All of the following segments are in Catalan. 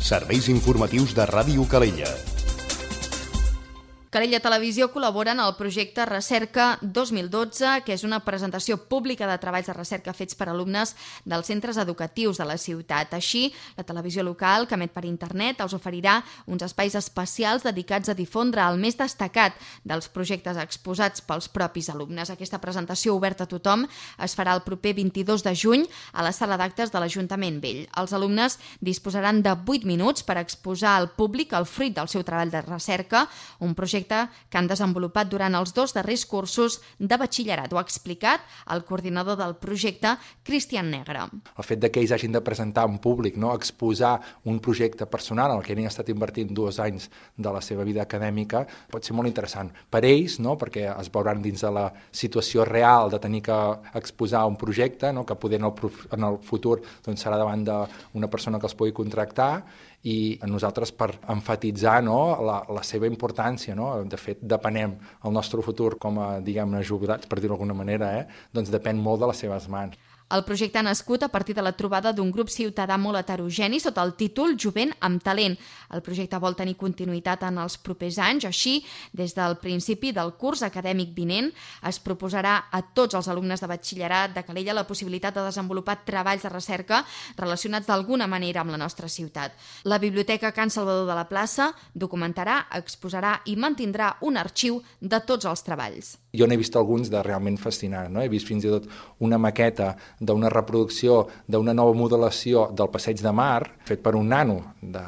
Serveis informatius de Ràdio Calella. Calella Televisió col·labora en el projecte Recerca 2012, que és una presentació pública de treballs de recerca fets per alumnes dels centres educatius de la ciutat. Així, la televisió local, que emet per internet, els oferirà uns espais especials dedicats a difondre el més destacat dels projectes exposats pels propis alumnes. Aquesta presentació oberta a tothom es farà el proper 22 de juny a la sala d'actes de l'Ajuntament Vell. Els alumnes disposaran de 8 minuts per exposar al públic el fruit del seu treball de recerca, un projecte que han desenvolupat durant els 2 darrers cursos de batxillerat. Ho ha explicat el coordinador del projecte, Cristian Negre. El fet que ells hagin de presentar en públic, exposar un projecte personal en el que han estat invertint 2 anys de la seva vida acadèmica, pot ser molt interessant per ells, perquè es veuran dins de la situació real de tenir que exposar un projecte, que poder en el futur serà davant d'una persona que els pugui contractar, i a nosaltres per emfatitzar la seva importància. De fet, depenem el nostre futur com a, jubilats, per dir-ho d'alguna manera, doncs depèn molt de les seves mans. El projecte ha nascut a partir de la trobada d'un grup ciutadà molt heterogeni sota el títol Jovent amb talent. El projecte vol tenir continuïtat en els propers anys. Així, des del principi del curs acadèmic vinent, es proposarà a tots els alumnes de batxillerat de Calella la possibilitat de desenvolupar treballs de recerca relacionats d'alguna manera amb la nostra ciutat. La Biblioteca Can Salvador de la Plaça documentarà, exposarà i mantindrà un arxiu de tots els treballs. Jo n'he vist alguns de realment fascinants. He vist fins i tot una maqueta d'una reproducció d'una nova modelació del Passeig de Mar fet per un nano de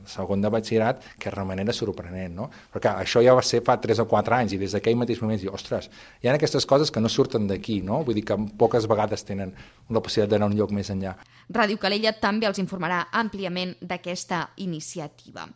segon de batxillerat, que és de manera sorprenent. Però clar, això ja va ser fa 3 o 4 anys i des d'aquell mateix moment dic, ostres, hi ha aquestes coses que no surten d'aquí, vull dir que poques vegades tenen la possibilitat d'anar a un lloc més enllà. Ràdio Calella també els informarà àmpliament d'aquesta iniciativa.